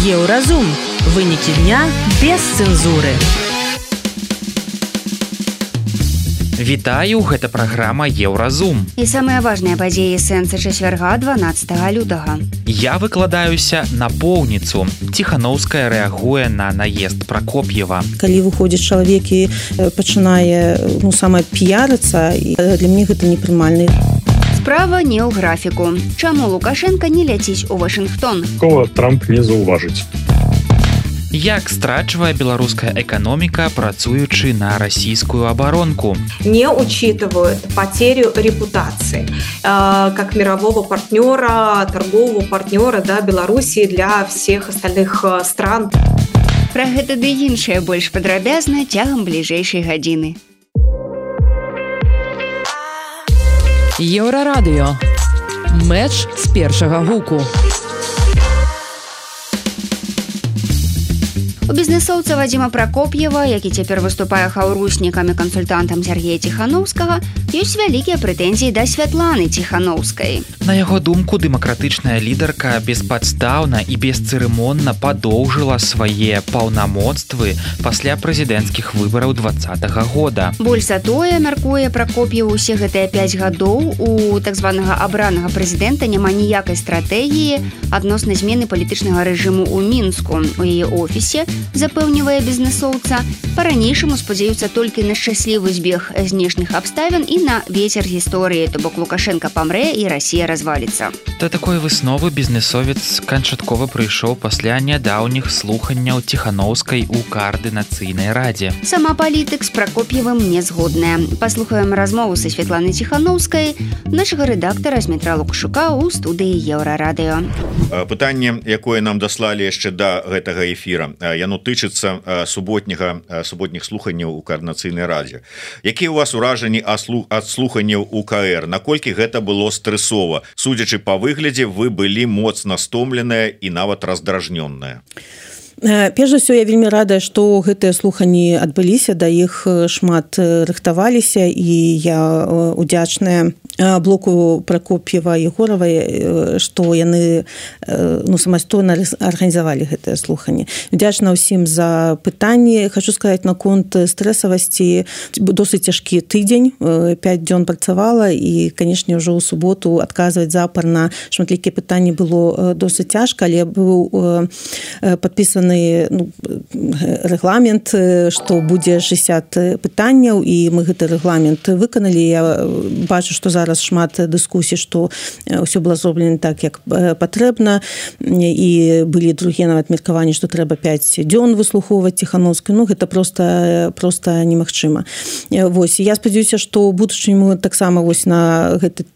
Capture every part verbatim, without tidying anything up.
Еўразум. Вынікі дня без цэнзуры. Вітаю, гэта праграма Еўразум. І самыя важныя падзеі сэнса чацвярга дванаццатага лютага. Я выкладаюся на поўніцу. Ціханаўская рэагуе на наезд Пракоп'ева. Калі выходзіць чалавек і пачынае ну, сама піярыцца, для мяне гэта непрымальна. Справа не ў графіку. Чаму Лукашенка не ляціць у Вашынгтон? Кого Трамп не заўважыць. Як страчвае беларуская эканоміка, працуючы на расійскую абаронку? Не учитывают потерю репутации э, как мирового партнера, торгового партнера, да, Белоруссии для всех остальных э, стран. Пра гэта ды іншае больш падрабязна цягам бліжэйшай гадзіны. Еўрарадыё. Мэч з першага гуку. У бізнесоўца Вадзіма Пракоп'ева, які цяпер выступае хаўруснікам і кансультантам Сергея Ціханаўскага, ёсць вялікія прэтэнзіі да Святланы Ціханаўскай. На яго думку, дэмакратычная лідарка беспадстаўна і бесцырымонна падоўжыла свае паўнамоцтвы пасля прэзідэнцкіх выбараў дваццатага года. Больш за тое, мяркуе Пракоп'ев, усе гэтыя пяць гадоў у так званага абранага прэзідэнта няма ніякай стратэгіі адносна змены палітычнага рэжыму ў Мінску. У яе офісе, запэўнівае бізнесоўца, па-ранейшаму спадзяюцца толькі на шчаслівы збег знешніх абставін і на вецер гісторыі, то бок Лукашенка памрэ і Расія разваліцца. Да такой высновы бізнесовец канчаткова прыйшоў пасля нядаўніх слуханняў Ціханаўскай у каардынацыйнай радзе. Сама палітык з Пракоп'евым не згодная. Паслухаем размову са Святланай Ціханаўскай, нашага рэдактара Змітра Лукашука ў студыі Еўрарадыё. Пытанне, якое нам даслалі яшчэ да гэтага эфіра, яно тычыцца суботняга суботніх слуханняў у каардынацыйнай радзе. Якія ў вас уражанні ад слуханняў у ка эр? Наколькі гэта было стрэсова? Судзячы па выглядзе, вы былі моцна стомленыя і нават раздражнённая. Перш за ўсё, я вельмі радая, што гэтыя слуханні адбыліся, да іх шмат рыхтаваліся, і я удзячная блоку Пракоп'ева і Егоравай, што яны ну, самастойна арганізавалі гэтыя слуханні. Удзячна ўсім за пытанні. Хачу сказаць, наконт стрэсавасці, досыць цяжкі тыдзень, пяць дзён працавала, і, канешне, ўжо ў суботу адказваць запар на шматлікія пытанні было досыць цяжка, але быў падпісаны ну, рэгламент, што будзе шэсцьдзесят пытанняў, і мы гэты рэгламент выканалі. Я бачу, што зараз шмат дыскусій, што ўсё было зроблена так, як патрэбна, і былі другія нават меркаванні, што трэба пяць дзён выслухоўваць Ціханаўскую. Ну, гэта проста, проста немагчыма. Вось, я спадзяюся, што ў будучыні мы таксама вось на гэты,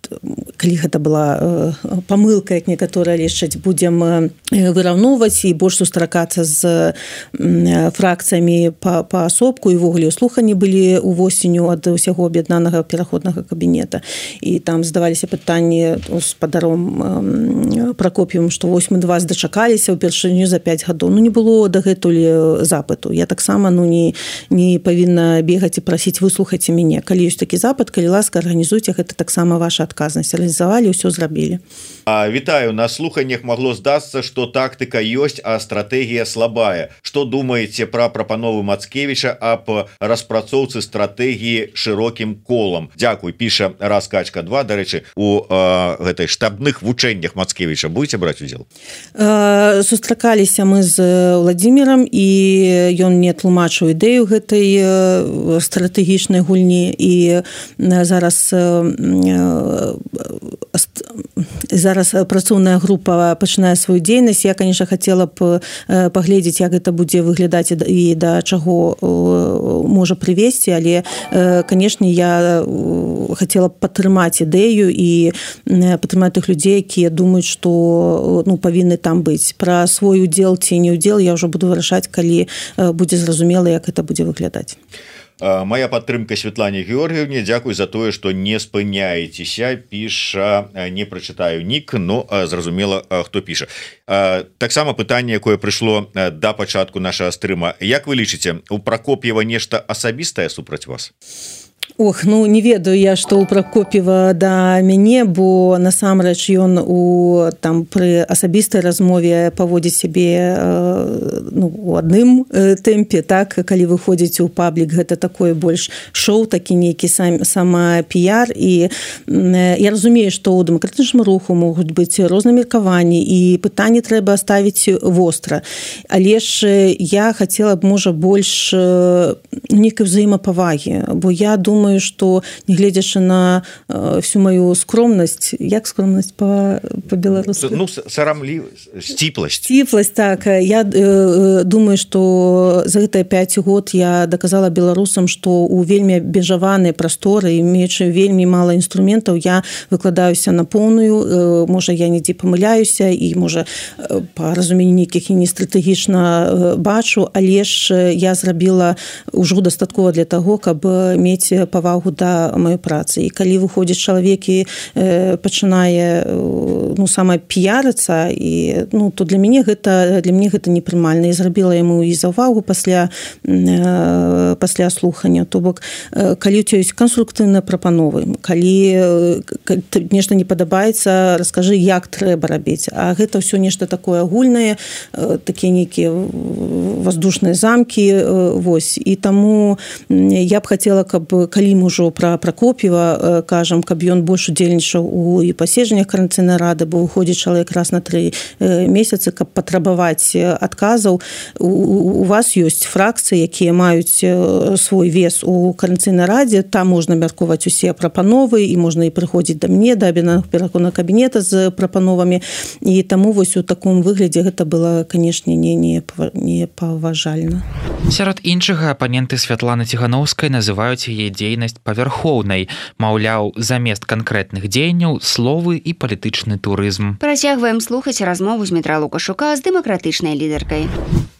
калі гэта была памылка, як некаторыя лічаць, будзем выраўноўваць і больш сустракацца з фракцыямі паасобку, і ввогуле слуханні былі ўвосенню ад усяго аб'яднанага пераходнага кабінета, і там задаваліся пытанні гаспадаром Пракоп'евым, што вось мы да вас дачакаліся ўпершыню за пяць гадоў. Ну, не было дагэтуль запыту. Я таксама ну, не, не павінна бегаць і прасіць, выслухайце мяне. Калі ёсць такі запыт, калі ласка, арганізуйце, гэта таксама ваша адказнасць. Арганізавалі, ўсё зрабілі. А, вітаю, на слуханнях магло здацца, што тактыка ёсць, а стратэгія слабая. Што думаеце пра прапанову Мацкевіча аб распрацоўцы стратэгіі шырокім колам? Дзякуй, піша Раскачка два. Дарэчы, у э, гэтай штабных вучэннях Мацкевіча будете браць удзел? Э, сустракаліся мы з Владзімірам, і ён не тлумачыў ідэю гэтай э, стратэгічнай гульні, і зараз э, э, зараз працоўная група пачынае сваю дзейнасць. Я, конечно, хацела б паглядзець, як гэта будзе выглядаць і да чаго можа прывесці, але, канешне, я хацела б падтрымаць ідэю і падтрымаць тых людзей, якія думаюць, што ну, павінны там быць. Пра свой удзел ці не удзел я ўжо буду вырашаць, калі будзе зразумела, як гэта будзе выглядаць. Моя падтрымка Святлане Георгіевне, дзякуй за тое, што не спыняецеся, піша, не прачытаю нік, но зразумела, хто піша. Таксама пытанне, якое прыйшло да пачатку нашага стрыма. Як вы лічыце, у Пракоп'ева нешта асабістае супраць вас? Ох, ну не ведаю я, што ў Пракоп'ева да мяне, бо насамрэч ён у там пры асабістай размове паводзіць сябе ну, у адным тэмпе, так, калі выходзіць у паблік, гэта такое больш шоу, такі нейкі сам, сама піяр, і я разумею, што ў дэмакратычным руху могуць быць розныя меркаванні, і пытанні трэба ставіць востра. Але ж я хацела б, можа, больш нейкай взаемапавагі, бо я думаю, что негледзячы на э, всю мою скромнасць, як скромнасць по, по-беларуску? Ну, сарамлівасць, сціпласць. Сціпласць, так. Я э, думаю, что за гэтыя пяць год я доказала беларусам, что у вельмі абмежаванай прасторы, имеючы вельмі мала інструментаў, я выкладаюся на поўную, э, можа, я недзе памыляюся, і, можа, э, па разуменні нейкіх і не стратэгічна э, бачу, але ж я зрабіла ўжо дастаткова для таго, каб мець павагу да маёй працы. І калі выходзіць чалавек і э, пачынае э, ну, сама піярыцца, і, ну, то для мяне гэта, для мяне гэта непрымальна. І зрабіла яму і заўвагу пасля, э, пасля слухання. То бок, э, калі у цябе ёсць канструктыўныя прапановы, калі э, нешта не падабаецца, раскажы, як трэба рабіць. А гэта ўсё нешта такое агульнае, э, такія нейкія воздушныя замкі, э, вось. І таму я б хацела, каб калі мы ўжо пра Пракоп'ева кажам, каб ён больш удзельнічаў у і паседжаннях Коордынацыйнай рады, бо выходзіць чалавек раз на тры месяцы, каб патрабаваць адказаў. У, у вас ёсць фракцыі, якія маюць свой вес у Коордынацыйнай радзе, там можна мяркоўваць усе прапановы, і можна і прыходзіць да мне, да пераконнага кабінета з прапановамі, і таму вось у таком выглядзе гэта было, канешне, не, не, не паважальна. Сярод іншага апаненты Святланы Ціхановскай называюць яе дзейнасць павярхоўнай, маўляў, замест канкрэтных дзеянняў словы і палітычны турызм. Працягваем слухаць размову з Дмітра Лукашука з дэмакратычнай лідаркай.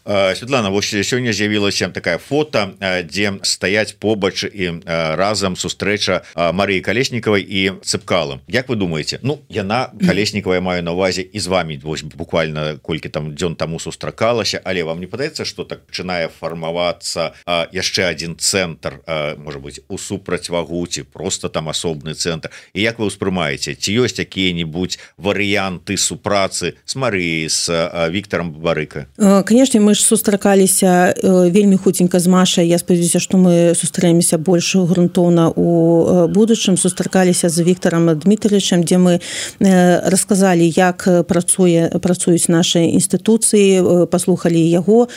Светлана, вось сёння з'явілася такая фото, дзе стаяць побач і разам сустрэча Марыі Калеснікавай і Цыпкалам. Як вы думаеце? Ну, яна, Калеснікава, я маю на ўвазе, і з вами вось буквально колькі там дзён таму сустракалася, але вам не падаецца, што так пачынае фармавацца яшчэ адзін цэнтр, можа быць, у супрацьвагу, ці проста там асобны цэнтр. І як вы ўспрымаеце? Ці ёсць якія-небудзь варыянты супрацы з Марыяй, з Віктарам Бабарыка? Канешне, мы сустракаліся вельмі хуценька з Машай. Я спадзяюся, што мы сустрэнемся больш грунтоўна у будучым. Сустракаліся з Віктарам Дмітрыевичам, дзе мы расказалі, як працуе, працуюць нашы інстытуцыі, паслухалі яго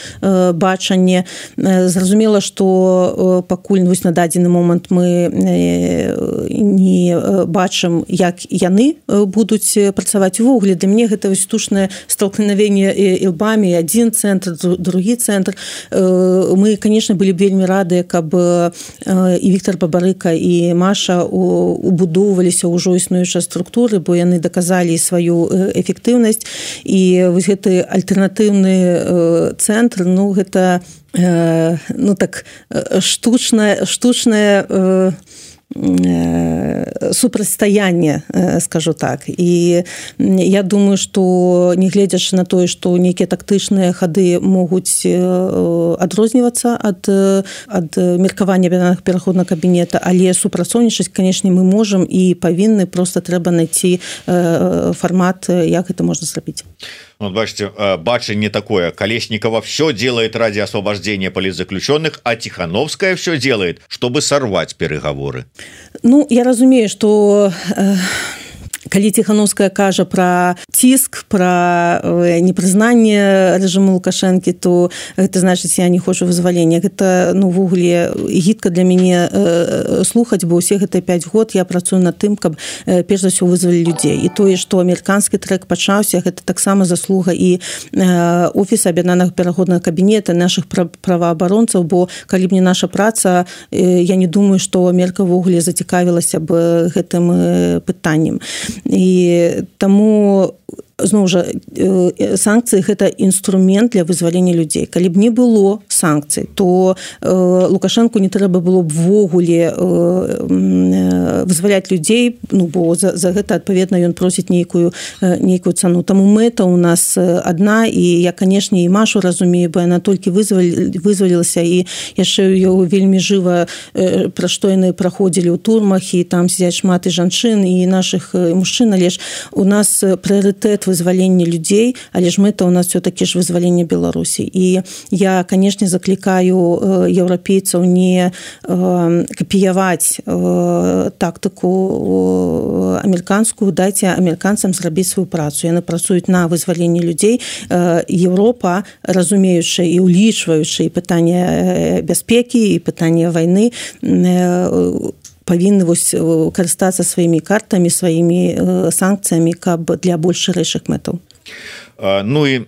бачанне. Зразумела, што пакуль вось на дадзены момант мы не бачым, як яны будуць працаваць увогуле. Для мне гэта вось штучнае столкновение ілбамі, адзін цэнтр, другі цэнтр. Мы, конечно, былі б вельмі рады, каб і Віктар Бабарыка, і Маша убудоўваліся ўжо існуючыя структуры, бо яны даказалі сваю эфектыўнасць. І вось гэты альтэрнатыўны цэнтр, ну, гэта ну, так, штучная, штучная супрацьстаянне, скажу так. І я думаю, што не гледзячы на тое, што нейкія тактычныя хады могуць адрознівацца ад, ад меркавання пераходнага кабінета, але супрацоўнічаць, канешне, мы можам і павінны, проста трэба знайсці фармат, як гэта можна зрабіць. Вот, бачите, бачение такое. Колесникова все делает ради освобождения политзаключенных, а Тихановская все делает, чтобы сорвать переговоры. Ну, я разумею, что... Э... Калі Ціхановская кажа пра ціск, пра непрызнанне рэжыму Лукашэнкі, то гэта значыць, я не хочу вызвалення. Гэта, ну, ввогуле гідка для мяне э, слухаць, бо ўсе гэтыя пяць год я працую над тым, каб э, перш за ўсё вызвалі людзей. І тое, што амерыканскі трэк пачаўся, гэта таксама заслуга і э, офіса аб'яднанага пераходнага кабінета, нашых праваабаронцаў, бо калі б не наша праца, э, я не думаю, што Амерыка ввогуле зацікавілася б гэтым э, пытаннем. І таму зноў жа санкцыі гэта інструмент для вызвалення людзей. Калі б не было санкцый, то Лукашенку не трэба было б ввогуле вызваляць людзей, ну бо за, за гэта адпаведна ён просіць нейкую нейкую цану. Таму мэта у нас адна, і я, канешне, і Машу разумею, бо яна толькі вызвалілася, і яшчэ ў вельмі жыва, пра што яны праходзілі ў турмах, і там сядзяць шмат і жанчын, і нашых і мужчын, але ж у нас прыярытэт вызвалення людзей, але ж мэта у нас все-таки ж вызвалення Беларусі. І я, канешне, заклікаю еўрапейцаў не капіяваць тактыку амерыканскую, дайце амерыканцам зрабіць сваю працу. Яны працуюць на вызваленне людзей. Еўропа, разумеючы і улічваючы і пытанне бяспекі, і пытанне вайны, павінны вось карыстацца сваімі картамі, сваімі санкцыямі, каб для больш шырэйшых мэтаў. Ну і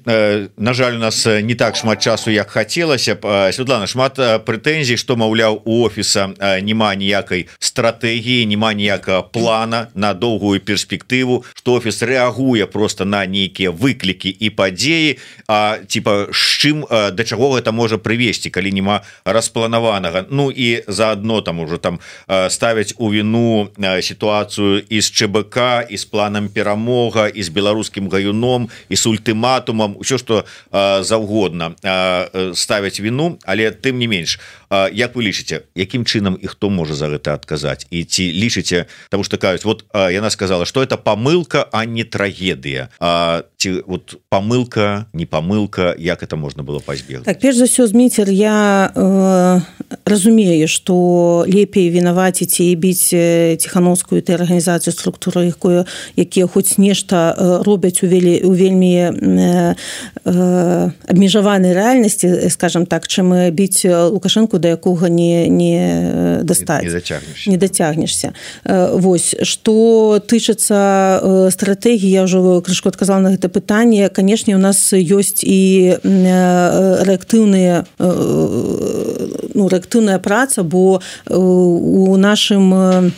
на жаль, у нас не так шмат часу, як хацелася б. Святлана, шмат прэтэнзій, што, маўляў, у офіса няма ніякай стратэгіі, няма ніякага плана на доўгую перспектыву, што офіс рэагуе просто на нейкія выклікі і падзеі, а типа з чым, да чаго гэта можа прывесці, калі няма распланаванага. Ну і заадно там ужо там ставяць у віну сітуацыю і з ЧБК, і з планам перамога, і з беларускім гаюном, і з ультыматумам, усё, што заўгодна ставяць віну, але тым не менш, як вы лічыце, якім чынам і хто можа за гэта адказаць? І ці лічыце, таму што кажуць, вот яна сказала, што это памылка, а не трагедыя. А, ці вот памылка, не памылка, як это можна было пазбегнуць? Так, перш за ўсё, Зміцер, я э, разумею, што лепей вінаваціць і біць Ціхановскую і арганізацыю структуры, якую, якія хоць нешта робяць у, вельмі, у вельмі э, э, абмежаванай рэальнасці, скажам так, чым біць Лукашенку, да якога не, не дастаць. Не дацягнешся. Не дацягнешся. Вось, што тычыцца стратэгіі, я ўжо крышку адказала на гэта пытанне, канешне, у нас ёсць і рэактыўныя, ну, рэактыўная праца, бо у нашым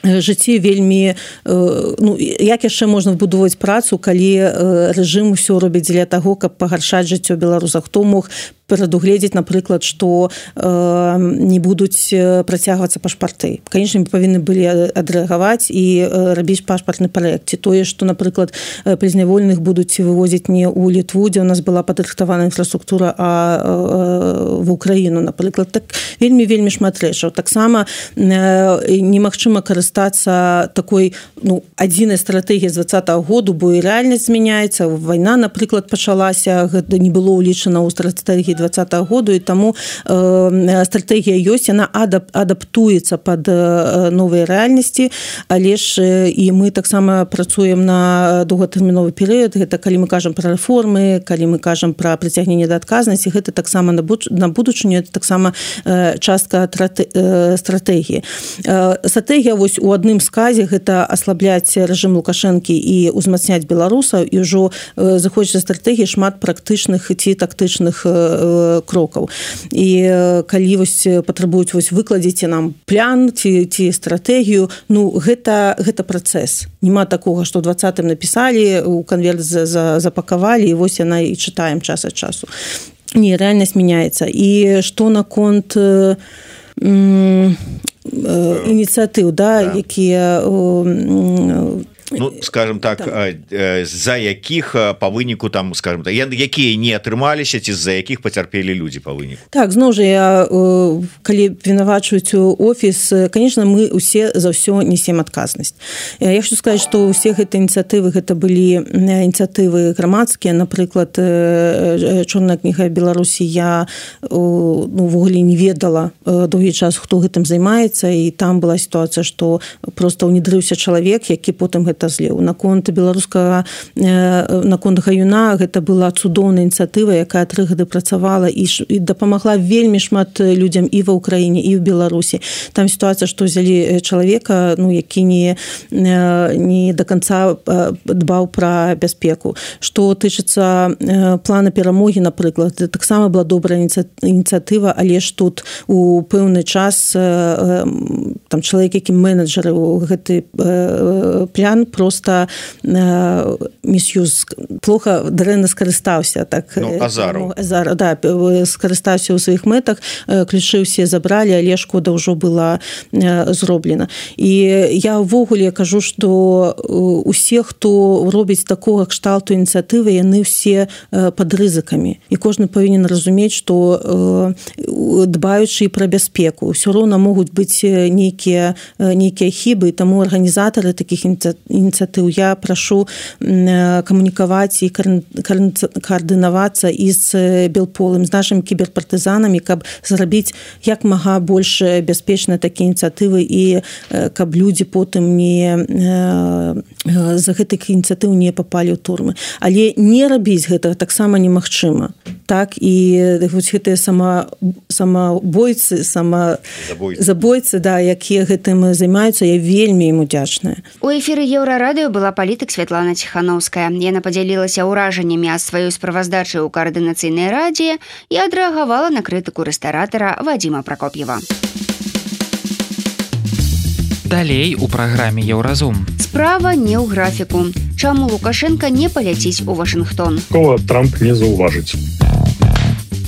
жыцці вельмі, ну, як яшчэ можна вбудоўваць працу, калі рэжым усё робіць дзеля таго, каб пагаршаць жыццё беларусаў? Хто мог прадугледзець, напрыклад, што э, не будуць працягвацца пашпарты. Канечне, мы павінны былі адрэагаваць і э, рабіць пашпартны праект. Ці тое, што, напрыклад, прызняволеных будуць вывозіць не ў Літву, дзе у нас была падрыхтавана інфраструктура, а э, в Украіну, напрыклад. Так вельмі-вельмі шмат рэчаў. Таксама э, немагчыма карыстацца такой, ну, адзінай стратэгіяй з дваццатага году, бо і рэальнасць змяняецца. Вайна, напрыклад, пачалася, гэта не было ўлічана ў стратэгіі двадцатага году, і таму э, стратэгія ёсць, яна адап, адаптуецца пад э, новыя рэальнасці, але ж э, і мы таксама працуем на доўгатэрміновы перыяд. Гэта калі мы кажам пра рэформы, калі мы кажам пра прыцягненне да адказнасці, гэта таксама на, буд на будучыню, это таксама э, частка э, стратэгіі. Э, стратэгія вось у адным сказе гэта аслабляць рэжым Лукашэнкі і ўзмацняць беларусаў, і ўжо э, заходзіць стратэгіі шмат практычных ці тактычных э, крокаў. І калі вось патрабуюць вось выкладзіце нам план ці, ці стратэгію, ну гэта, гэта працэс. Нема такога, што ў двадцатым напісалі, у канверт запакавалі, і вось яна і чытаем час ад часу. Не, рэальнасць мяняецца. І што наконт э, э, ініцыятыў, да, да. якія э, ну, скажем так, з-за якіх па выніку там, скажем так, якія не атрымаліся, ці з-за якіх пацярпелі людзі па выніку? Так, зноў жа, я, калі вінавачваюць офіс, конечно, мы усе за ўсё несем адказнасць. Я хочу сказаць, што ўсе гэтыя ініцыятывы, гэта былі ініцыятывы грамадскія, напрыклад, Чорная кніга Беларусі, я ну, ввогуле не ведала доўгі час, хто гэтым займаецца, і там была сітуацыя, што проста ўнедрыўся чалавек, які потым гэта злеў. Наконт беларускага, наконт гаюна, гэта была цудоўная ініцыятыва, якая тры гады працавала і, і дапамагла вельмі шмат людзям і ва ўкраіне, і ў Беларусі. Там сітуацыя, што ўзялі чалавека, ну, які не, не до конца дбаў пра бяспеку. Што тычыцца плана перамогі, напрыклад, таксама была добрая ініцыятыва, але ж тут у пэўны час там чалавек, які менеджары гэты план просто э, місюз плохо дрэнна скарыстаўся так ну, Азару. Азар, да, скарыстаўся ў сваіх мэтах, ключы ўсе забралі, але шкода ўжо была э, зроблена. І я ўвогуле кажу, што усе, хто робіць такога кшталту ініцыятывы, яны ўсе э, пад рызыкамі. І кожны павінен разумець, што э, дбаючы пра бяспеку, ўсё роўна могуць быць нейкія, нейкія хібы, і таму арганізатары такіх ініцыятыў я прашу э, камунікаваць і каардынавацца і з Белполым, з нашымі кіберпартызанамі, каб зрабіць як мага больш бяспечна такія ініцыятывы і каб людзі потым не за гэтых ініцыятыў не папалі ў турмы. Але не рабіць гэта таксама немагчыма. Так, і вось гэтыя сама, самабойцы, сама забойцы, да, якія гэтым займаюцца, я вельмі ім удзячная. У эфіры Еўрарадыё была палітык Святлана Ціханаўская. Яна падзялілася ўражаннямі ад сваёй справаздачы ў каардынацыйнай радзе і адрэагавала на крытыку рэстаратара Вадзіма Пракоп'ева. Далей у праграме Еўразум. Справа не ў графіку. Чаму Лукашенка не паляціць у Вашынгтон? Кого Трамп не заўважыць.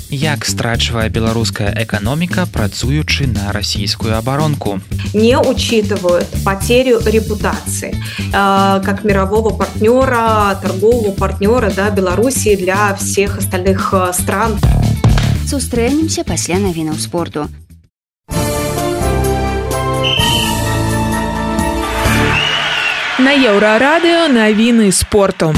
Як страчвае беларуская эканоміка, працуючы на расійскую абаронку? Не учитывают потерю репутации э, как мирового партнера, торгового партнера, да, Белоруссии для всех остальных стран. Сустрэнемся пасля навінаў спорту. На Еўрарадыё навіны спорту.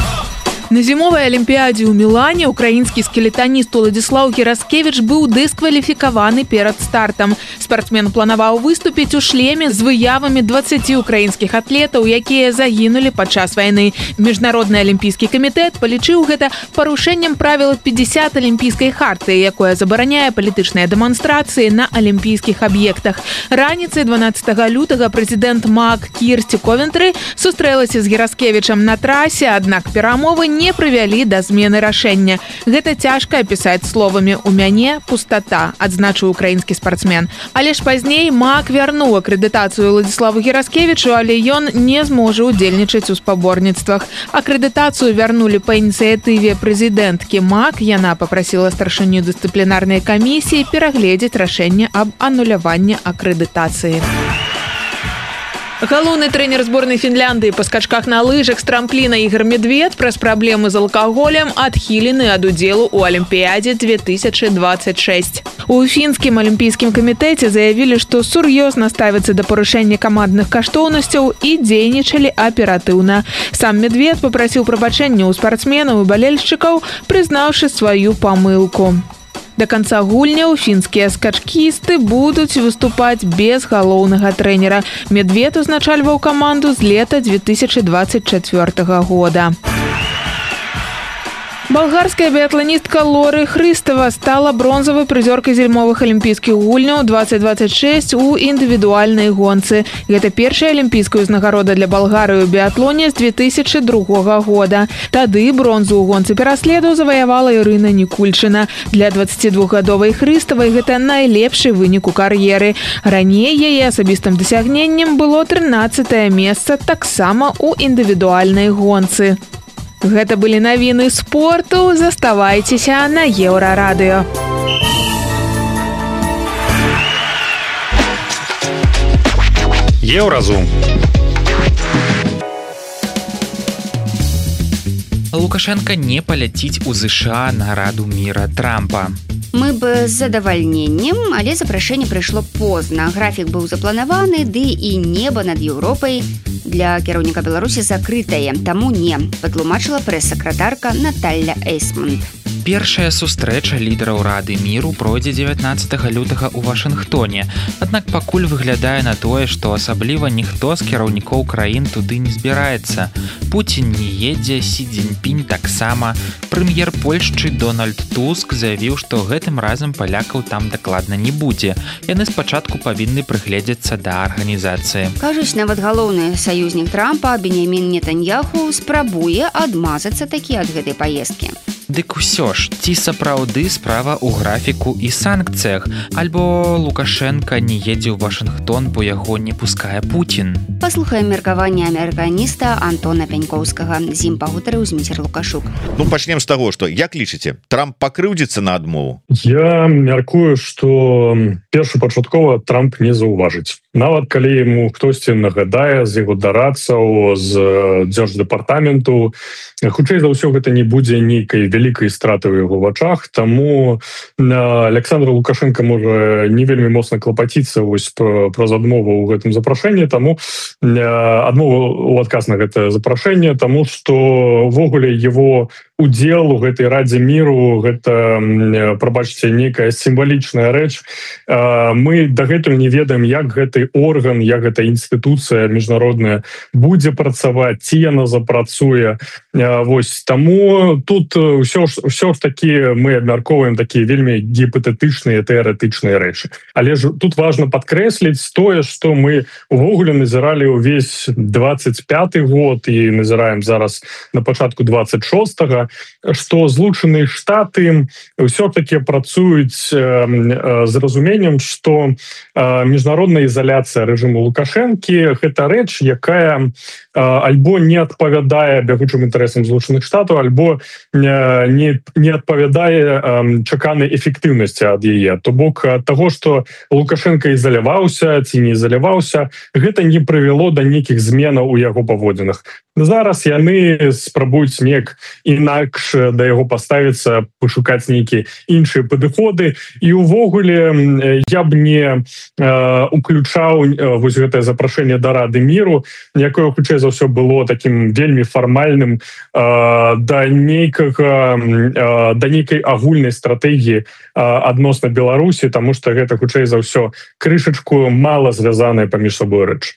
На зімовай алімпіядзе ў Мілане украінскі скелетаніст Уладзіслаў Гераскевіч быў дыскваліфікаваны перад стартам. Спартсмен планаваў выступіць у шлеме з выявамі дваццаці украінскіх атлетаў, якія загінулі падчас вайны. Міжнародны алімпійскі камітэт палічыў гэта парушэннем правіла пятьдесят алімпійскай хартыі, якое забараняе палітычныя дэманстрацыі на алімпійскіх аб'ектах. Раніцай дванаццатага лютага прэзідэнт МАК Кірсці Ковентры сустрэлася з Гераскевічам на трасе, аднак перамовы не прывялі да змены рашэння. Гэта цяжка апісаць словамі «У мяне пустата», адзначыў украінскі спартсмен. Але ж пазней МАК вярнуў акрэдытацыю Уладзіславу Гераскевічу, але ён не зможа ўдзельнічаць у спаборніцтвах. Акрэдытацыю вярнулі па ініцыятыве прэзідэнткі МАК. Яна папрасіла старшыню дысцыплінарнай камісіі перагледзець рашэнне аб ануляванні акрэдытацыі. Галоўны трэнер зборнай Фінляндыі па скачках на лыжах з трампліна Ігор Медвед праз праблемы з алкаголем адхілены ад удзелу ў алімпіядзе две тысячи двадцать шесть. У фінскім алімпійскім камітэце заявілі, што сур'ёзна ставяцца да парушэння камандных каштоўнасцяў і дзейнічалі аператыўна. Сам Медвед папрасіў прабачэння ў спартсменаў і балельшчыкаў, прызнаўшы сваю памылку. Да канца гульняў фінскія скачкісты будуць выступаць без галоўнага трэнера. Медвед узначальваў каманду з лета две тысячи двадцать четвёртага года. Балгарская біятланістка Лоры Хрыстава стала бронзавай прызёркай зімовых алімпійскіх гульняў двадцать двадцать шесть у індывідуальнай гонцы. Гэта першая алімпійская ўзнагарода для Балгарыі ў біятлоне з две тысячи другога года. Тады бронзу ў гонцы пераследу заваявала Ірына Нікульчына. Для дваццацідвухгадовай Хрыставай гэта найлепшы вынік у кар'еры. Раней яе асабістым дасягненнем было трынаццатае месца таксама ў індывідуальнай гонцы. Гэта былі навіны спорту. Заставайцеся на Еўрарадыё. Еўразум. Лукашенко не паляціць у ЗША на Раду міра Трампа. Мы бы з задавальненнем, але запрашэнне прыйшло позна. Графік быў запланаваны, ды і неба над Еўропай для кіраўніка Беларусі закрытае. Таму не, патлумачыла прэс-сакратарка Наталля Эйсмонт. Першая сустрэча лідараў Рады міру пройдзе дзевятнаццатага лютага ў Вашынгтоне. Аднак пакуль выглядае на тое, што асабліва ніхто з кіраўнікоў краін туды не збіраецца. Пуцін не едзе, Сі Цзіньпінь таксама. Прэм'ер Польшчы Дональд Туск заявіў, што гэтым разам палякаў там дакладна не будзе. Яны спачатку павінны прыгледзецца да арганізацыі. Кажуць, нават галоўны саюзнік Трампа Беньямін Нетаньяху спрабуе адмазацца такі ад гэтай паездкі. Дык усё ж, ці сапраўды справа ў графіку і санкцыях, альбо Лукашенко не едзе ў Вашынгтон, бо яго не пускае Путін. Паслухаем меркаванне амерыканіста Антона Пянькоўскага. З ім пагутарыў Зміцер Лукашук. Ну пачнем з таго, што як лічыце, Трамп пакрыўдзіцца на адмову? Я мяркую, што першапачаткова Трамп не заўважыць. Нават калі яму хтосьці нагадае з яго дарадцаў, з дзярждэпартаменту, хутчэй за ўсё гэта не будзе нейкай вялікай страты ў яго вачах, таму Александр Лукашенко можа не вельмі моцна клапаціцца вось праз адмову ў гэтым запрашэнні, таму адмову ў адказ на гэта запрашэнне, таму што ўвогуле его удзел у гэтай радзе міру гэта, прабачце, нейкая сімвалічная рэч. Мы дагэтуль не ведаем, як гэты орган, як гэта інстытуцыя міжнародная будзе працаваць, ці яна запрацуе. Вось таму тут ўсё ж, ўсё ж такі мы абмяркоўваем такія вельмі гіпатэтычныя тэарэтычныя рэчы. Але ж тут важна падкрэсліць тое, што мы увогуле назіралі ўвесь двадцать пяты год і назіраем зараз на пачатку двадцать шостага, што Злучаныя Штаты ўсё-такі працуюць з разуменнем, што міжнародная ізаляцыя рэжыму Лукашэнкі гэта рэч, якая альбо не адпавядае бягучым інтарэсам Злучаных Штатаў, альбо не, не адпавядае чаканай эфектыўнасці ад яе. То бок таго, што Лукашенко ізаляваўся ці не ізаляваўся, гэта не прывяло да нейкіх зменаў у яго паводзінах. Зараз яны спрабуюць неяк інакш да яго паставіцца, пашукаць нейкія іншыя падыходы. І ўвогуле я б не уключаў вось гэтае запрашэнне да Рады міру, якое хутчэй за ўсё было такім вельмі фармальным да нейкага да нейкай агульнай стратэгіі адносна Беларусі, таму што гэта хутчэй за ўсё крышачку мала звязаная паміж сабой рэч.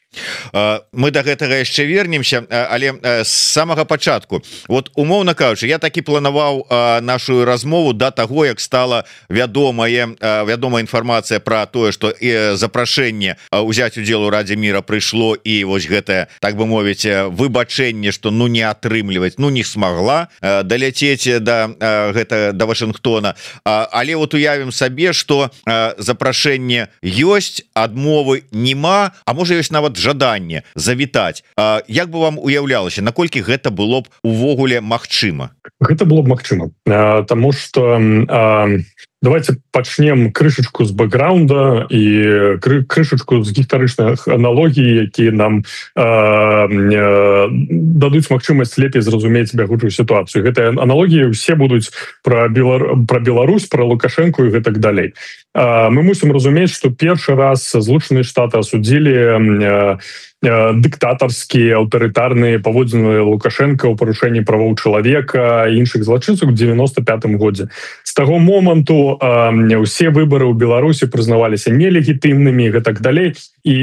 Мы да гэтага яшчэ вернемся, але з самага пачатку, вот умоўна кажучы, я такі планаваў нашу размову да таго, як стала вядомая вядомая інфармацыя пра тое, што запрашэнне ўзяць удзел у Радзе міра прыйшло, і вось гэтае, так бы мовіць, выбачэнне, што ну не атрымліваць, ну не смагла даляцець да гэта да Вашынгтона. Але вот уявім сабе, што запрашэнне ёсць, адмовы нема, а можа ёсць нават жаданне завітаць. Як бы вам уяўлялася, наколькі гэта было б увогуле магчыма? Гэта было б магчыма, таму што давайте пачнем крышачку з бэкграунда і крышачку з гістарычных аналогій, якія нам дадуць магчымасць лепей зразумець бягучую сітуацыю. Гэтыя аналогіі ўсе будуць пра Беларусь, пра Лукашэнку і гэтак далей. Мы мусім разумець, што першы раз Злучаныя Штаты асудзілі дыктатарскія аўтарытарныя паводзіны Лукашэнка ў парушэнні правоў чалавека і іншых злачынцаў у девяносто пятым годзе. З таго моманту ўсе выбары ў Беларусі прызнаваліся нелегітымнымі і гэтак далей, і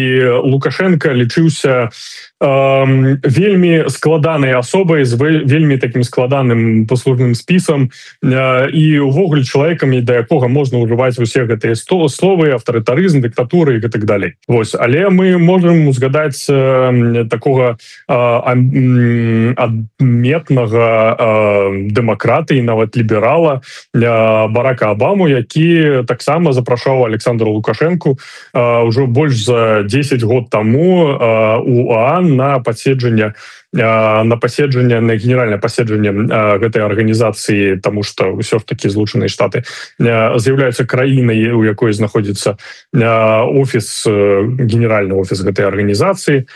Лукашенко лічыўся вельмі складанай асобай з вельмі такім складаным паслужным спісам і увогуле чалавекам, да якога можна ўжываць усе гэтыя словы, аўтарытарызм, дыктатуры і гэтак далей. Вось, але мы можам узгадаць такога адметнага дэмакрата і нават ліберала Барака Абаму, які таксама запрашаў Александра Лукашэнку ўжо больш за десять год таму у ОАН на паседжанне на паседжанне на генеральнае паседжанне гэтай арганізацыі, таму што ўсё ж такі Злучаныя Штаты з'яўляюцца краінай, у якой знаходзіцца офіс, генеральны офіс гэтай арганізацыі.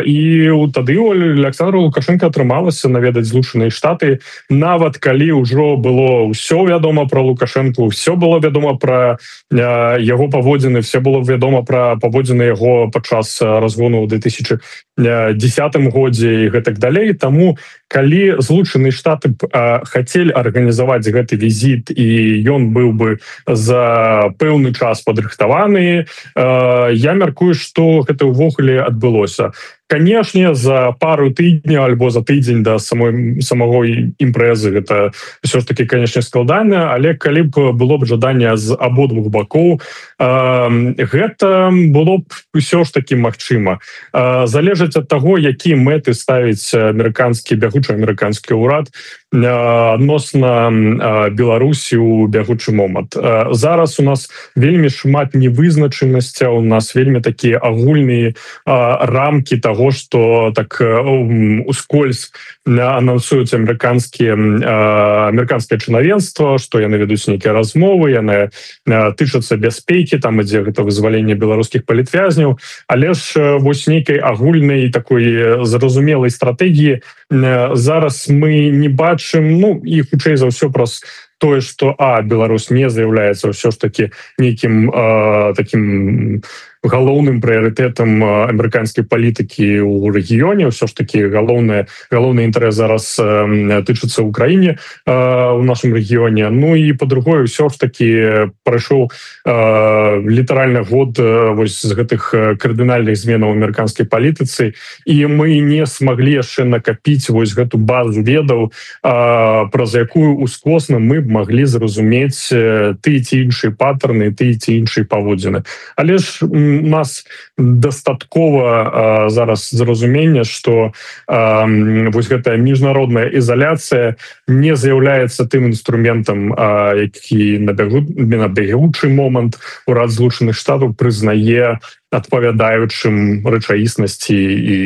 І тады у Александра Лукашенко атрымалася наведаць Злучаныя Штаты, нават калі ўжо было ўсё вядома пра Лукашэнку, ўсё было вядома пра яго паводзіны, все было вядома пра паводзіны яго падчас разгону ў две тысячи десятым годзе і гэтак далей. Таму калі Злучаныя Штаты хацелі арганізаваць гэты візіт і ён быў бы за пэўны час падрыхтаваны, я мяркую, што гэта ўвогуле адбылося. Канешне, за пару тыдняў альбо за тыдзень да самой самого імпрэзы гэта ўсё ж таки, канешне, складана, але калі б было б жаданне з абодвух бакоў, гэта было б ўсё ж таки магчыма. Залежыць ад таго, які мэты ставіць амерыканскі бягучы амерыканскі ўрад, адносна Беларусі ў бягучы момант. Зараз у нас вельмі шмат невызначанасця, у нас вельмі такія агульныя рамкі того, што так ускользь анансуюць амерыканскія амерыканскае чынавенства, што яны вядуць нейкія размовы, яны тычацца бяспекі, там ідзе гэта вызваленне беларускіх палітвязняў, але ж вось нейкай агульнай такой зразумелай стратэгіі зараз мы не бачым, ну і хутчэй за ўсё праз тое, што а Беларусь не з'яўляецца ўсё ж таки нейкім э, таким галоўным прыярытэтам амерыканскай палітыкі ў рэгіёне, ўсё ж таки галоўнае галоўны інтарэс зараз э, тычыцца ў краіне э, у нашым рэгіёне. Ну і па-другое, ўсё ж таки прайшоў э, літаральна год э, вось з гэтых кардынальных зменаў у амерыканскай палітыцы, і мы не смаглі яшчэ накапіць вось гэту базу ведаў, э, праз якую ускосна мы б маглі зразумець э, ты ці іншыя паттерны, ты ці іншыя паводзіны. Але ж у нас дастаткова э, зараз зразумення, што э, вось гэтая міжнародная ізаляцыя не з'яўляецца тым інструментам, э, які на бягучы момант урад Злучаных Штатаў прызнае адпавядаючым рэчаіснасці і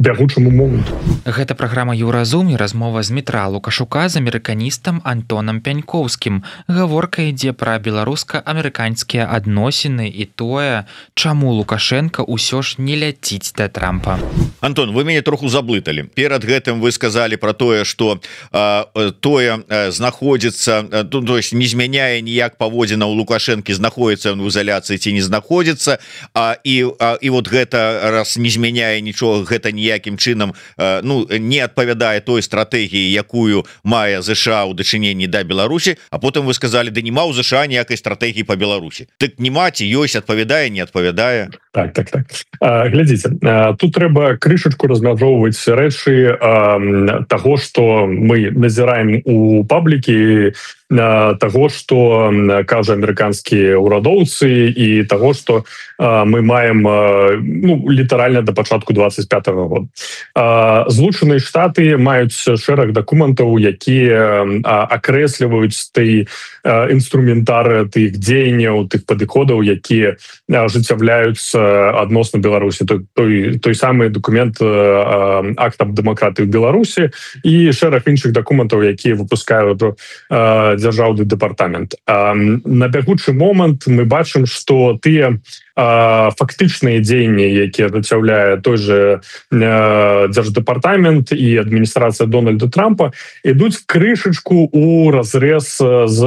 бягучаму моманту. Гэта праграма Еўразум і размова з Дмітра Лукашука з амерыканістам Антонам Пянькоўскім. Гаворка ідзе пра беларуска-амерыканскія адносіны і тое, чаму Лукашенко ўсё ж не ляціць да Трампа. Антон, вы мяне троху заблыталі. Перад гэтым вы сказалі пра тое, што а, тое а, знаходзіцца, а, то есть не змяняе ніяк паводзіна ў Лукашэнкі, знаходзіцца ў ізаляцыі ці не знаходзіцца. А, і, а, і вот гэта раз не змяняе нічога, гэта ніякім чынам а, ну не адпавядае той стратэгіі, якую мае ЗША ў дачыненні да Беларусі. А потым вы сказалі, да нема ў ЗША ніякай стратэгіі па Беларусі. Так нема, ці ёсць, адпавядае, не адпавядае. Так, так, так. А, глядзіце, а, тут трэба крышачку размяжоўваць рэчы а, таго, што мы назіраем у паблікі, того, што кажа амерыканскія ўрадоўцы, і того, што а, мы маем а, ну, літаральна да пачатку двадцать пятого года. А, Злучаныя Штаты маюць шэраг дакументаў, якія акрэсліваюць той інструментар тых дзеянняў, тых падыходаў, якія ажыццяўляюцца адносна Беларусі. Той, той, той самы документ а, акт аб дэмакратыі ў Беларусі і шэраг іншых дакументаў, якія выпускаюць а, дзяржаўны дэпартамент. На бягучы момант мы бачым, што тыя фактычныя дзеянні, якія ажыццяўляе той же дзярждэпартамент і адміністрацыя Дональда Трампа, ідуць крышачку у разрэз з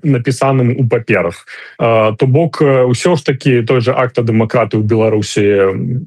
напісаным у паперах. То бок усё ж таки той же акт дэмакратыі ў Беларусі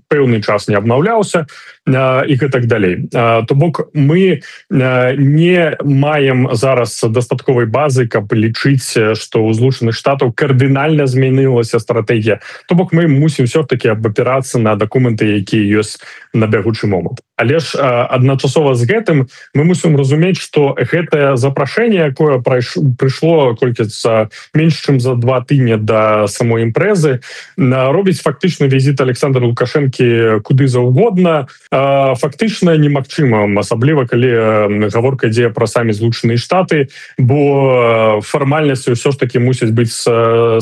пэўны час не абнаўляўся і гэтак далей. То бок мы не маем зараз дастатковай базы, каб лічыць, што ў Злучаных Штатаў кардынальна змянілася стратэгія. То бок мы мусім все-таки абапірацца на дакументы, якія ёсць на бягучы момант. Але ж адначасова з гэтым мы мусім разумець, што гэтае запрашэнне, якое прыйшло колькі за менш чым за два тыдні да самой імпрэзы, робіць фактычны візіт Александра Лукашэнкі куды заўгодна фактычна немагчыма, асабліва калі гаворка ідзе пра самі Злучаныя Штаты, бо фармальнасці ўсё ж таки мусяць быць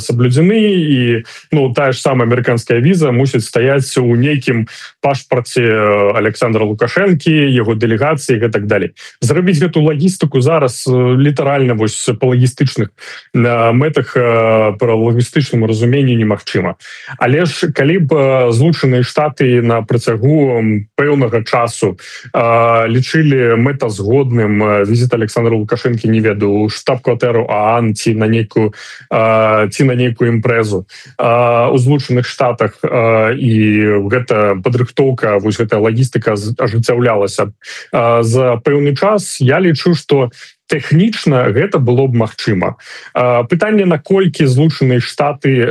саблюдзены, і ну тая ж самая амерыканская віза мусіць стаяць у нейкім пашпарце Александра Лукашэнкі, яго дэлегацыі і так далей. Зрабіць гэту лагістыку зараз літаральна вось па лагістычных мэтах, па лагістычным разуменні немагчыма. Але ж калі б Злучаныя Штаты на працягу пэўнага часу лічылі мэтазгодным візіт Александра Лукашэнкі, не ведаю, штаб-кватэру ААН ці на нейкую ці на нейкую імпрэзу у Злучаных Штатах, і гэта падрыхтоўка, вось гэтая лагістыка ажыццяўлялася за пэўны час, я лічу, што тэхнічна гэта было б магчыма. Пытанне, наколькі Злучаныя Штаты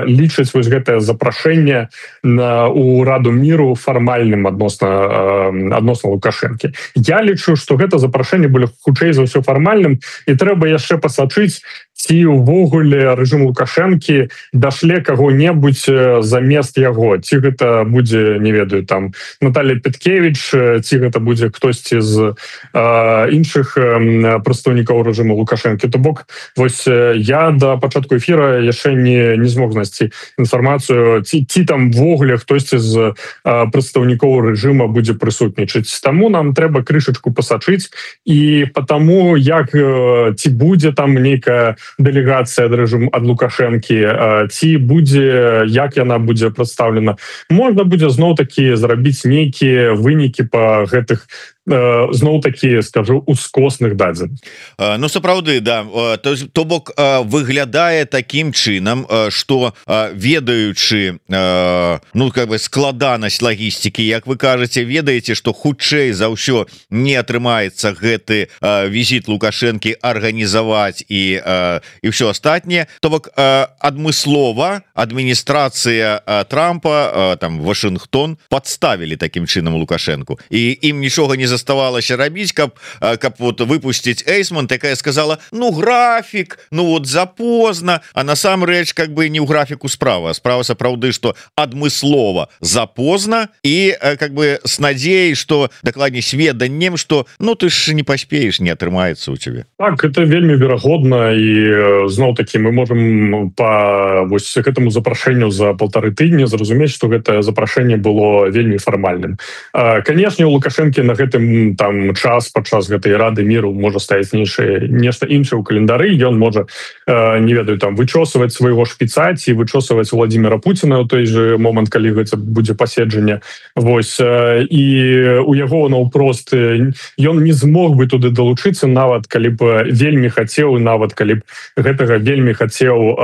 лічаць вось гэтае запрашэнне у Раду міру фармальным адносна адносна Лукашэнкі. Я лічу, што гэта запрашэнне было хутчэй за ўсё фармальным, і трэба яшчэ пасачыць, ці ўвогуле рэжым Лукашэнкі дашле каго-небудзь замест яго. Ці гэта будзе, не ведаю, там Наталья Петкевич, ці гэта будзе хтосьці з э, іншых э, прадстаўнікоў рэжыму Лукашэнкі. То бок, вось я да пачатку эфіра яшчэ не, не змог знайсці інфармацыю, ці, ці там ввогуле хтосьці з э, прадстаўнікоў рэжыма будзе прысутнічаць. Таму нам трэба крышачку пасачыць, і потому як э, ці будзе там нейкая дэлегацыя ад рэжыму ад Лукашэнкі, ці будзе, як яна будзе прадстаўлена. Можна будзе зноў-такі зрабіць нейкія вынікі па гэтых зноў-такі, скажу, ускосных дадзеных. Ну, сапраўды, да. То, то бок выглядае такім чынам, што ведаючы ну, как бы складанасць лагістыкі, як вы кажаце, ведаеце, што хутчэй за ўсё не атрымаецца гэты візіт Лукашэнкі арганізаваць і, і ўсё астатняе, то бок адмыслова адміністрацыя Трампа, там, Вашынгтон падставілі такім чынам Лукашэнку. І ім нічога не заставалася рабіць, каб, каб вот выпусціць Эйсман, такая сказала, ну графік, ну вот запозна, а насамрэч как бы не ў графіку справа. Справа сапраўды, што адмыслова запозна і как бы с надзеяй, што дакладней сведаннем, што ну ты ж не паспееш, не атрымаецца у цябе. Так, это вельмі верагодна, і зноў-такі мы можам па вось гэтаму запрашэнню за полторы тыдні зразумець, што гэта запрашэнне было вельмі фармальным. Канешне, у Лукашэнкі на гэтым там час падчас гэтай Рады міру можа стаяць нейшае нешта іншае ў календары. Ён можа, не ведаю, там вычосваць свайго шпіца ці вычосваць Владимира Путина ў той же момант, калі гэта будзе паседжанне. Вось, і у яго наўпрост ён не змог бы туды далучыцца, нават калі б вельмі хацеў, нават калі б гэтага вельмі хацеў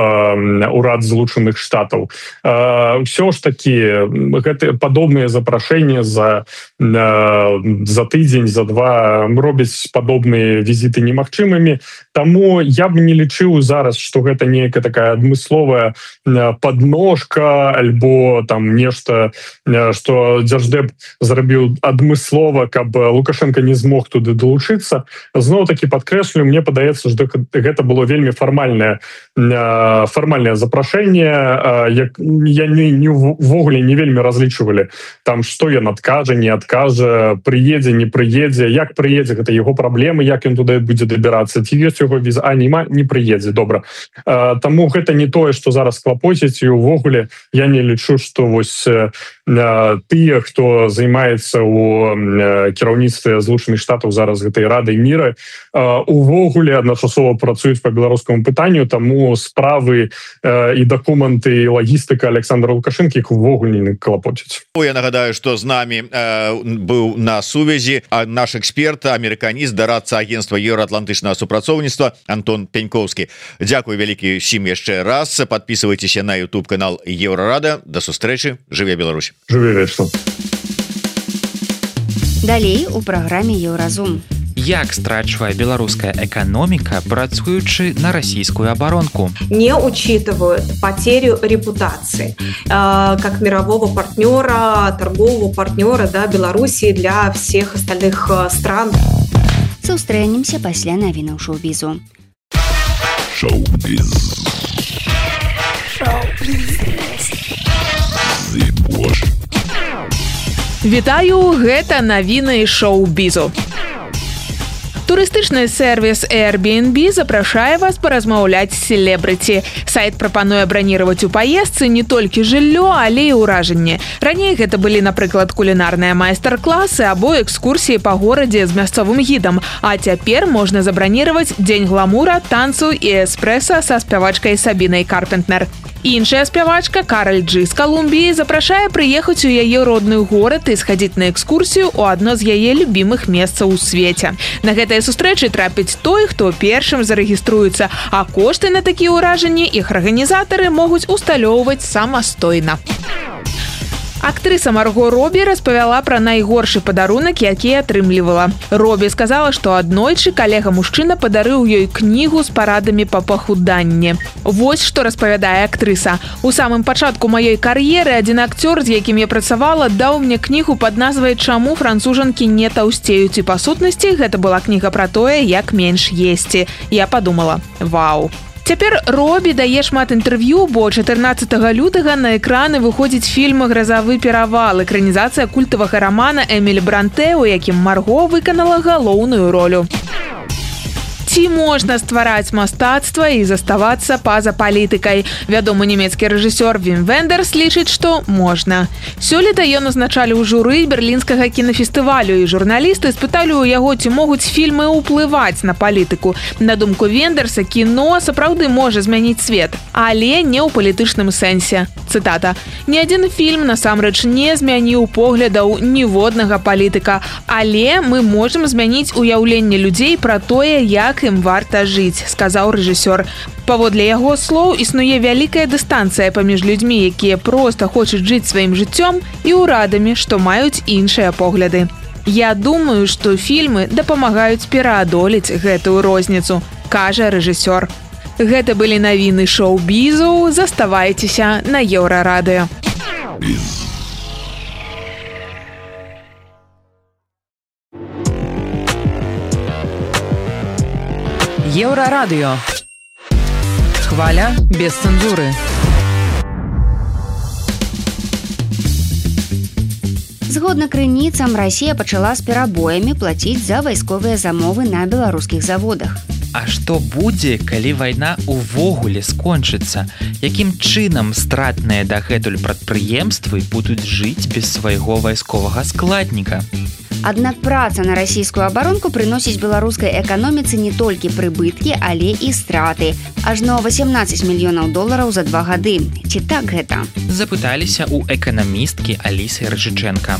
урад Злучаных Штатаў. Ўсё ж такі гэта падобныя запрашэнні за за тыдзень, за два робяць падобныя візіты немагчымымі. Таму я б не лічыў зараз, што гэта нейкая такая адмысловая падножка альбо там нешта, што Дзярждэп зрабіў адмыслова, каб Лукашенко не змог туды далучыцца. Зноў-такі падкрэслю, мне падаецца, што гэта было вельмі фармальнае фармальнае запрашэнне. Як я не ввогуле не вельмі разлічвалі там, што ён адкажа, не адкажа, прыедзе, не прыедзе, як прыедзе, гэта яго праблемы, як ён туды будзе дабірацца, ці ёсць яго віза, а нема, не прыедзе, добра. Таму гэта не тое, што зараз клапоціць, і увогуле я не лічу, што вось тыя, хто займаецца ў кіраўніцтве Злучаных Штатаў зараз гэтай Радай міра, увогуле адначасова працуюць па беларускаму пытанню, таму справы і дакументы, і лагістыка Александра Лукашэнкі іх увогуле не клапоціць. Я нагадаю, што з намі быў на сувязі наш эксперт, амерыканіст, дарадца агентства еўраатлантычнага супрацоўніцтва Антон Пянькоўскі. Дзякуй вялікі ўсім яшчэ раз. Подписывайтеся на YouTube канал Еўрарада. До сустрэчы. Жыве Беларусь. Жыве вечна. Далей у праграме Еўразум. Як страчвае беларуская эканоміка, працуючы на расійскую абаронку? Не учитывают потерю репутации э, как мирового партнера, торгового партнера, да, Белоруссии для всех остальных стран. Сустрэнемся пасля навінаў шоу-бізу. Шоу-біз. Шоу-біз. Вітаю, гэта навіны шоу-бізу. Турыстычны сервіс Airbnb запрашае вас паразмаўляць з селебрыці. Сайт прапануе браніраваць у паездцы не толькі жыллё, але і ўражанні. Раней гэта былі, напрыклад, кулінарныя майстар-класы або экскурсіі па горадзе з мясцовым гідам. А цяпер можна забраніраваць дзень гламура, танцу і эспрэса са спявачкай Сабінай Карпентнер. Іншая спявачка Кароль Джи з Калумбіі запрашае прыехаць у яе родны горад і схадзіць на экскурсію ў адно з яе любімых месцаў у свеце. На гэтыя сустрэчы трапіць той, хто першым зарэгіструецца, а кошты на такія ўражанні іх арганізатары могуць усталёўваць самастойна. Актрыса Марго Робі распавяла пра найгоршы падарунак, які атрымлівала. Робі сказала, што аднойчы калега-мужчына падарыў ёй кнігу з парадамі па пахуданні. Вось што распавядае актрыса. У самым пачатку маёй кар'еры адзін акцёр, з якім я працавала, даў мне кнігу пад назвай «Чаму францужанкі не таўсцеюць». І па сутнасці гэта была кніга пра тое, як менш есці. Я падумала: вау. Цяпер Робі дае шмат інтэрв'ю, бо чатырнаццатага лютага на экраны выходзіць фільм «Гразавы перавал», экранізацыя культавага рамана Эмілі Бранте, у якім Марго выканала галоўную ролю. Ці можна ствараць мастацтва і заставацца па-за палітыкай? Вядомы нямецкі рэжысёр Вім Вендерс лічыць, што можна. Сёлета ён назначалі ў журы берлінскага кінафестывалю, і журналісты спыталі ў яго, ці могуць фільмы ўплываць на палітыку. На думку Вендерса, кіно сапраўды можа змяніць свет, але не ў палітычным сэнсе. Цытата: «Ні адзін фільм насамрэч не змяніў поглядаў ніводнага палітыка, але мы можам змяніць уяўленне людзей пра тое, як ім варта жыць», сказаў рэжысёр. Паводле яго слоў, існуе вялікая дыстанцыя паміж людзьмі, якія проста хочуць жыць сваім жыццём, і ўрадамі, што маюць іншыя погляды. «Я думаю, што фільмы дапамагаюць пераадолець гэтую розніцу», кажа рэжысёр. Гэта былі навіны шоу-бізу. Заставайцеся на Еўрарадыё. Еўрарадыё. Хваля без цэнзуры. Згодна крыніцам, Расія пачала з перабоямі плаціць за вайсковыя замовы на беларускіх заводах. А што будзе, калі вайна ўвогуле скончыцца? Якім чынам стратныя дагэтуль прадпрыемствы будуць жыць без свайго вайсковага складніка? Аднак праца на расійскую абаронку прыносіць беларускай эканоміцы не толькі прыбыткі, але і страты. Ажно восемнадцать мільёнаў долараў за два гады. Ці так гэта? Запыталіся у эканамісткі Алісы Рыжыченко.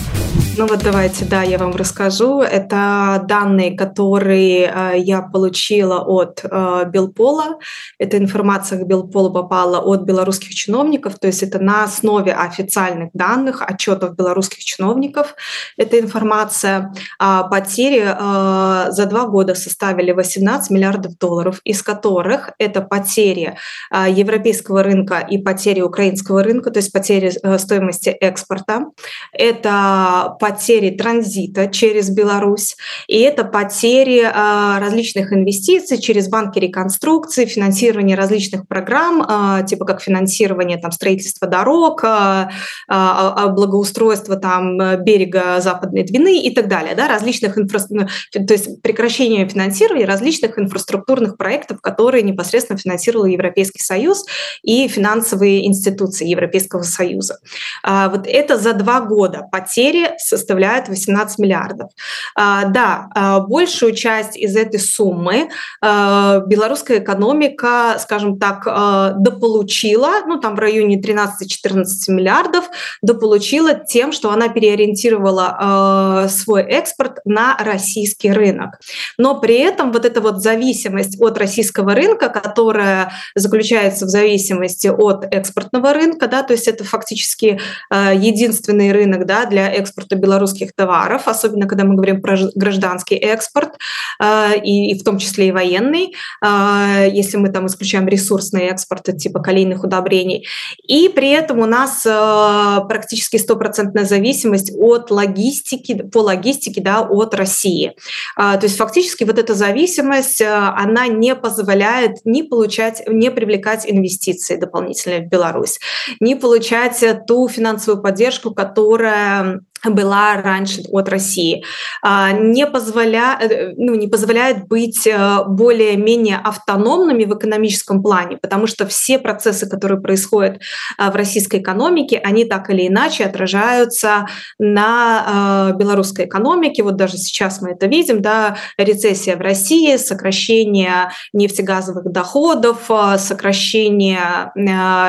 Ну вот давайте, да, я вам расскажу. Это данные, которые э, я получила от э, Белпола. Эта информация к Белполу попала от белорусских чиновников, то есть это на основе официальных данных, отчетов белорусских чиновников. Эта информация. А потери э, за два года составили восемнадцать миллиардов долларов, из которых это потери э, европейского рынка и потери украинского рынка, то есть потери э, стоимости экспорта. Это потери транзита через Беларусь, и это потери э, различных инвестиций через банки реконструкции, финансирование различных программ, э, типа как финансирование там, строительства дорог, э, э, благоустройства там, берега Западной Двины и так далее, да, различных инфра... то есть прекращение финансирования различных инфраструктурных проектов, которые непосредственно финансировал Европейский Союз и финансовые институции Европейского Союза. А, вот это за два года потери составляют восемнадцать миллиардов. А, да, а, большую часть из этой суммы а, белорусская экономика, скажем так, а, дополучила, ну там в районе тринадцать-четырнадцать миллиардов, дополучила тем, что она переориентировала а, свой экспорт на российский рынок. Но при этом вот эта вот зависимость от российского рынка, которая заключается в зависимости от экспортного рынка, да, то есть это фактически э, единственный рынок, да, для экспорта белорусских товаров, особенно когда мы говорим про гражданский экспорт, э, и, и в том числе и военный, э, если мы там исключаем ресурсные экспорты типа калийных удобрений. И при этом у нас э, практически стопроцентная зависимость от логистики, по логистике, да, от России. То есть фактически вот эта зависимость, она не позволяет ни получать, не привлекать инвестиции дополнительные в Беларусь, не получать ту финансовую поддержку, которая была раньше от России, не позволяет, ну, не позволяет быть более-менее автономными в экономическом плане, потому что все процессы, которые происходят в российской экономике, они так или иначе отражаются на белорусской экономике. Вот даже сейчас мы это видим, да, рецессия в России, сокращение нефтегазовых доходов, сокращение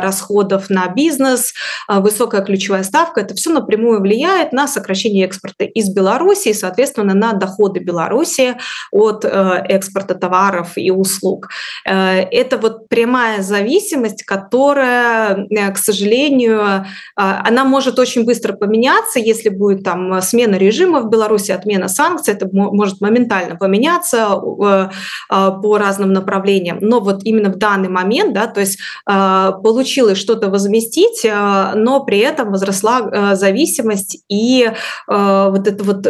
расходов на бизнес, высокая ключевая ставка, это все напрямую влияет на на сокращение экспорта из Беларуси и, соответственно, на доходы Беларуси от экспорта товаров и услуг. Это вот прямая зависимость, которая, к сожалению, она может очень быстро поменяться, если будет там смена режима в Беларуси, отмена санкций, это может моментально поменяться по разным направлениям. Но вот именно в данный момент, да, то есть получилось что-то возместить, но при этом возросла зависимость и вот эта вот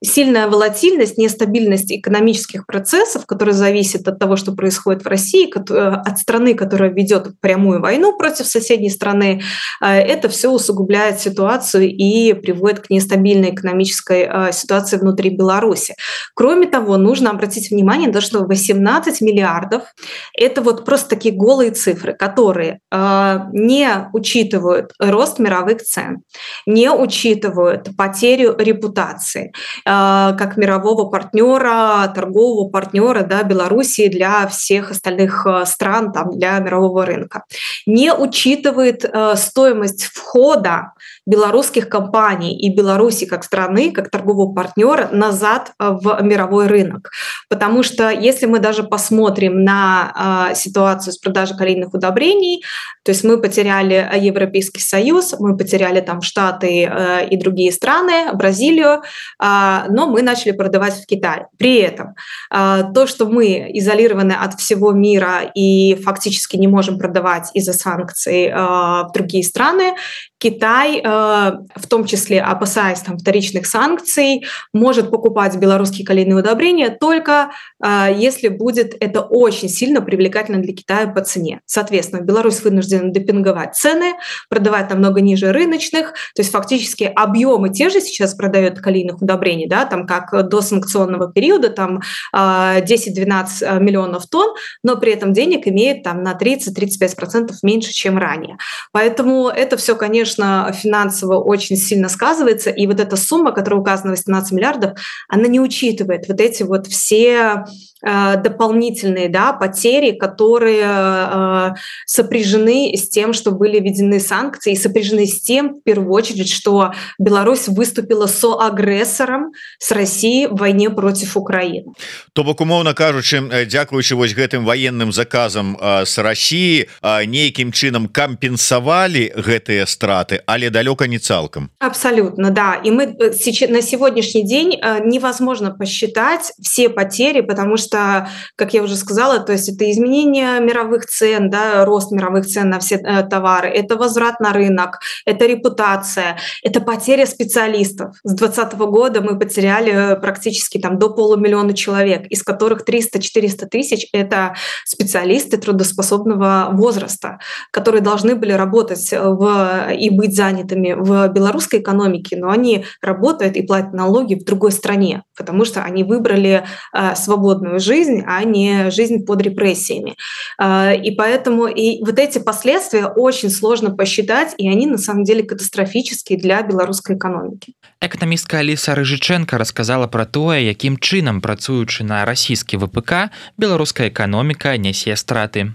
сильная волатильность, нестабильность экономических процессов, которые зависят от того, что происходит в России, от страны, которая ведет прямую войну против соседней страны, это все усугубляет ситуацию и приводит к нестабильной экономической ситуации внутри Беларуси. Кроме того, нужно обратить внимание на то, что восемнадцать миллиардов – это вот просто такие голые цифры, которые не учитывают рост мировых цен, не учитывают потерю репутации как мирового партнера, торгового партнера, да, Беларуси для всех остальных стран, там, для мирового рынка, не учитывает стоимость входа белорусских компаний и Беларуси как страны, как торгового партнера назад в мировой рынок. Потому что если мы даже посмотрим на ситуацию с продажей калийных удобрений, то есть мы потеряли Европейский Союз, мы потеряли там Штаты и другие страны, Бразилию, но мы начали продавать в Китай. При этом то, что мы изолированы от всего мира и фактически не можем продавать из-за санкций в другие страны, Китай, в том числе опасаясь там вторичных санкций, может покупать белорусские калийные удобрения только если будет это очень сильно привлекательно для Китая по цене. Соответственно, Беларусь вынуждена демпинговать цены, продавать намного ниже рыночных, то есть фактически объемы те же сейчас продают калийных удобрений, да, там как до санкционного периода, там десять-двенадцать миллионов тонн, но при этом денег имеет там на тридцать-тридцать пять процентов меньше, чем ранее. Поэтому это все, конечно, финансово очень сильно сказывается, и вот эта сумма, которая указана восемнадцать миллиардов, она не учитывает вот эти вот все дополнительные, да, потери, которые э, сопряжены с тем, что были введены санкции, и сопряжены с тем, в первую очередь, что Беларусь выступила соагрессором с Россией в войне против Украины. То бок, умоўна кажучы, дзякуючы вось гэтым военным заказам э, с России э, нейкім чынам кампенсавалі гэтыя страты, але далёка не цалкам. Абсолютно, да. И мы сейчас, на сегодняшний день э, невозможно посчитать все потери, потому что что, как я уже сказала, то есть это изменение мировых цен, да, рост мировых цен на все э, товары, это возврат на рынок, это репутация, это потеря специалистов. С двадцатого года мы потеряли практически там до полумиллиона человек, из которых триста-четыреста тысяч – это специалисты трудоспособного возраста, которые должны были работать в, и быть занятыми в белорусской экономике, но они работают и платят налоги в другой стране, потому что они выбрали э, свободную жизнь, а не жизнь под репрессиями. И поэтому и вот эти последствия очень сложно посчитать, и они на самом деле катастрофические для белорусской экономики. Эканамістка Аліса Рыжыченко рассказала про тое, якім чынам, працуючы на расійскі вэ пэ ка, беларуская эканоміка нясе страты.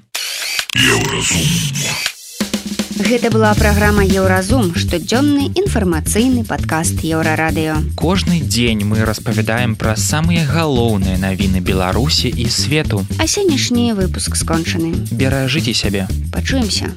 Гэта была праграма Еўразум, штодзённы інфармацыйны падкаст Еўрарадыё. Кожны дзень мы распавядаем пра самыя галоўныя навіны Беларусі і свету. А сённяшні выпуск скончаны. Беражыце сябе. Пачуемся.